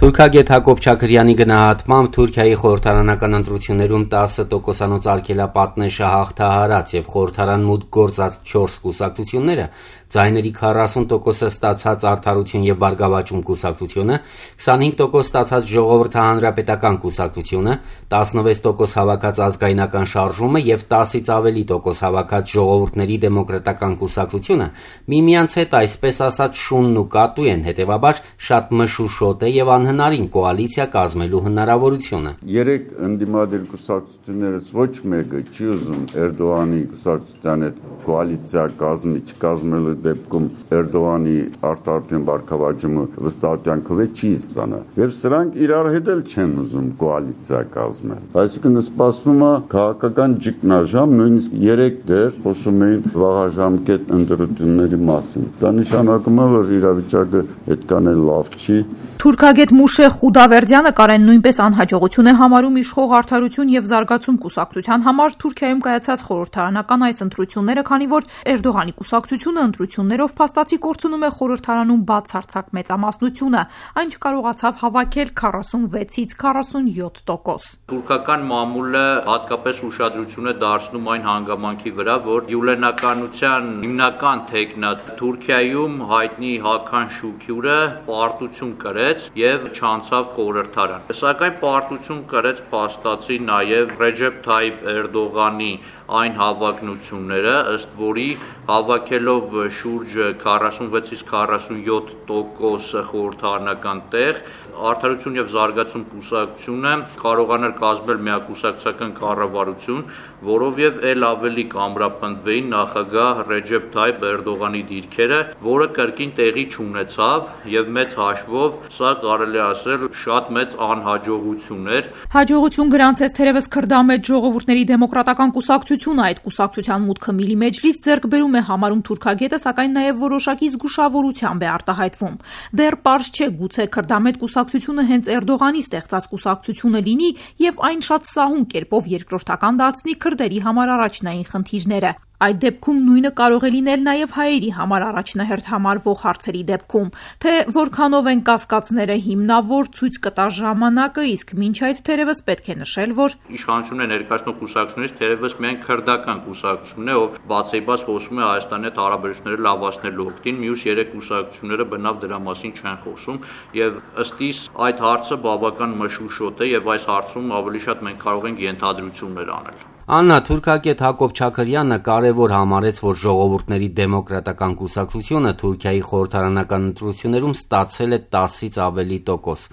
Թուրքագետ Հակոբ Չաքրյանի գնահատմամբ Թուրքիայի խորհրդարանական ընտրություններում 10%-անոց արգելապատնեշը հաղթահարած եւ խորհրդարան մուտք գործած 4 կուսակցությունները, ձայների 40%-ը ստացած Արդարություն եւ Բարգավաճում կուսակցությունը, 25% ստացած Ժողովրդի հանրապետական կուսակցությունը, 16% հավաքած Ազգայնական շարժումը եւ 10-ից ավելի տոկոս հավաքած Ժողովուրդների դեմոկրատական կուսակցությունը միմյանց հետ այսպես ասած շունն ու կատու են, հետեւաբար շատ մշուշոտ է եւ անհնարին կոալիցիա կազմելու հնարավորությունը։ Երեք ընդդիմադիր կուսակցություններից ոչ մեկը չի ուզում Էրդողանի կուսակցության հետ կոալիցիա կազմի, չկազմելու դեպքում Էրդողանի Արդարություն Բարգավաճումը վստահության քվե չի ստանա։ Եվ սրանք իրար հետ էլ չեն ուզում կոալիցիա կազմել։ Այսինքն սպասվում է քաղաքական ճգնաժամ, նույնիսկ 3 դեր խոսում էին վաղաժամկետ ընտրությունների մասին։ Դա նշանակում է, որ իրավիճակը այդքան էլ լավ չի։ Թուրքագետ Մուշեղ Խուդավերդյանը Կարեն նույնպես անհաջողություն է համարում իշխող Արդարություն եւ Զարգացում կուսակցության համար Թուրքիայում կայացած խորհրդարանական այս ընտրությունները, քանի որ Էրդողանի կուսակցությունը ընտրություններով փաստացի կորցնում է խորհրդարանում բացարձակ մեծամասնությունը, այն չկարողացավ հավաքել 46-ից 47%։ Թուրքական մամուլը հատկապես ուշադրություն է դարձնում այն հանգամանքի վրա, որ յուլենականության հիմնական թեկնած Թուրքիայում հայտնի Հական Շուքյուրը պարտություն կրեց եւ չանցավ խորհրդարան։ Սակայն պարտություն կրեց փաստացի նաեւ Ռեջեփ Թայիփ Էրդողանի այն հավակնությունները, ըստ որի հավաքելով շուրջ 46-ից 47% խորհրդարանական տեղ, Արդարություն եւ Զարգացում կուսակցությունը կարողաներ կազմել միակուսակցական կառավարություն, որով եւ ել ավելի կամրապնդվեին նախագահ Ռեջեփ Թայիփ Էրդողանի դիրքերը, որը կրկին տեղի չունեցավ եւ մեծ հաշվով սա կարելի ասել շատ մեծ անհաջողություն էր։ Հաջողություն գրանցեց թերևս քրդամետ Ժողովուրդների դեմոկրատական կուսակցությունը, այդ կուսակցության մուտքը Միլի Մեջլիս ձեռք բերում է համարում թուրքագետը, սակայն նաեւ որոշակի զգուշավորությամբ է արտահայտվում։ Դեռ պարզ չէ, գուցե քրդամետ կուսակցությունը հենց Էրդողանի ստեղծած կուսակցությունը լինի եւ այն շատ սահուն կերպով երկրորդական դարձնի քրդերի համար առաջնային խնդիրները։ Այդ դեպքում նույնը կարող է լինել նաև հայերի համար առաջնահերթ համարվող հարցերի դեպքում, թե որքանով են կասկածները հիմնավոր ցույց կտա ժամանակը, իսկ մինչ այդ թերևս պետք է նշել, որ իշխանությունը ներկայացնող կուսակցությունից թերևս միայն քրդական կուսակցությունն է, ով բացեիբաց խոսում է Հայաստանի հետ հարաբերությունները լավացնելու օգտին, մյուս 3 կուսակցությունները բնավ դրա մասին չեն խոսում, եւ ըստ իս այդ հարցը բավական մշուշոտ է եւ այս հարցում ավելի շատ մենք կարող ենք ենթադրություններ անել։ Աննա, թուրքագետ Հակոբ Չաքրյանը կարևոր համարեց, որ Ժողովուրդների դեմոկրատական կուսակցությունը Թուրքիայի խորհրդարանական ընտրություններում ստացել է 10-ից ավելի տոկոս։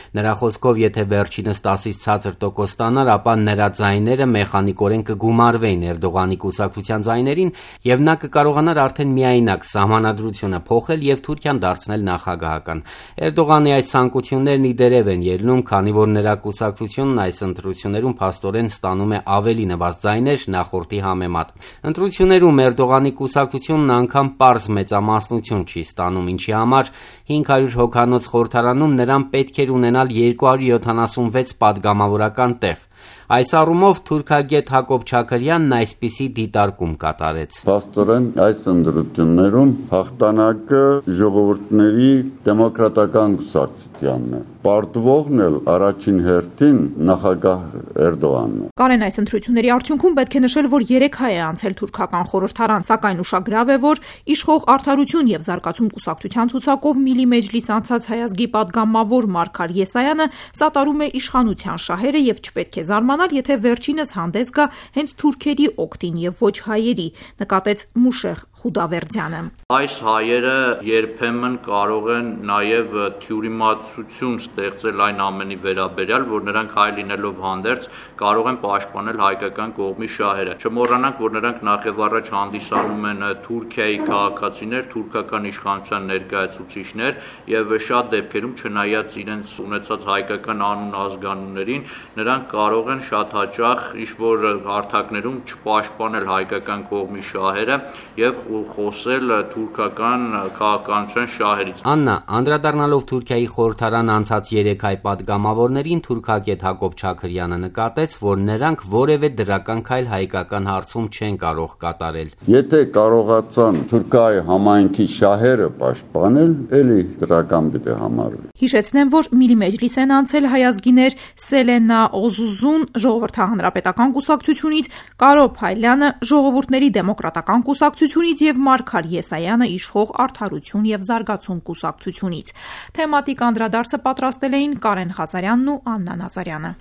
Նրա խոսքով, եթե վերջինս 10-ից ցածր տոկոս ստանար, ապա նրա ձայները մեխանիկորեն կգումարվեին Էրդողանի կուսակցության ձայներին, եւ նա կկարողանար արդեն միայնակ սահմանադրությունը փոխել եւ Թուրքիան դարձնել նախագահական։ Էրդողանի այս ցանկություններն ի դերև են ելնում, քանի որ նրա կուսակցությունն այս ընտրություններում փաստորեն ստանում է ավելի նվազ ձայներ նախորդի համեմատ։ Ընտրություններում Էրդողանի կուսակցությունն անգամ պարզ մեծամասնություն չի ստանում, ինչի համար 500 հոգանոց խորհրդարանում նրան պետք էր ունենալ 276 պատգամավորական տեղ։ Այս առումով թուրքագետ Հակոբ Չաքրյանն այսպիսի դիտարկում կատարեց։ Փաստորեն այս ընտրություններում հաղթանակը Ժողովուրդների դեմոկրատական կուսակցությանն է։ Պարտվողն էլ առաջին հերթին նախագահ Էրդողանն է։ Կարեն, այս ընտրությունների արդյունքում պետք է նշել, որ 3 հայ է անցել թուրքական խորհրդարան, սակայն ուշագրավ է, որ իշխող Արդարություն եւ Զարգացում կուսակցության ցուցակով Միլի Մեջլիս անցած հայազգի պատգամավոր Մարգար Եսայանը սատարում է իշխանության շահերը եւ չպետք է զարմանալ, եթե վերջինս հանդես գա հենց թուրքերի օգտին եւ ոչ հայերի, նկատեց Մուշեղ Խուդավերդյանը։ Այս հայերը երբեմն կարող են նաեւ թյուրիմացություն ստեղծել այն ամենի վերաբերյալ, որ նրանք հայ լինելով հանդերձ կարող են պաշտպանել հայկական կողմի շահերը։ Չմոռանանք, որ նրանք նախ առաջ հանդիսանում են Թուրքիայի քաղաքացիներ, թուրքական իշխանության ներկայացուցիչներ եւ շատ դեպքերում չնայած իրենց ունեցած հայկական անուն ազգանուններին, նրանք կարող կարող են շատ հաճախ ինչ-որ հարթակներում չպաշտպանել հայկական կողմի շահերը եւ խոսել թուրքական քաղաքականության շահերից։ Աննա, անդրադառնալով Թուրքիայի խորհրդարան անցած 3 հայ պատգամավորներին, թուրքագետ Հակոբ Չաքրյանը նկատեց, որ նրանք որևէ դրական քայլ հայկական հարցում չեն կարող կատարել։ Եթե կարողացան Թուրքիայի համայնքի շահերը պաշտպանել, էլի դրական պիտի համարվի։ Հիշեցնեմ, որ Միլի Մեջլիս են անցել հայազգիներ Սելենա Օզուզուն Ժողովրդահանրապետական կուսակցությունից, Կարո Փայլյանը Ժողովուրդների դեմոկրատական կուսակցությունից եւ Մարգար Եսայանը Իշխող Արդարություն եւ Զարգացում կուսակցությունից։ Թեմատիկ անդրադարձը պատրաստել էին Կարեն Ղազարյանն ու Աննա Նազարյանը։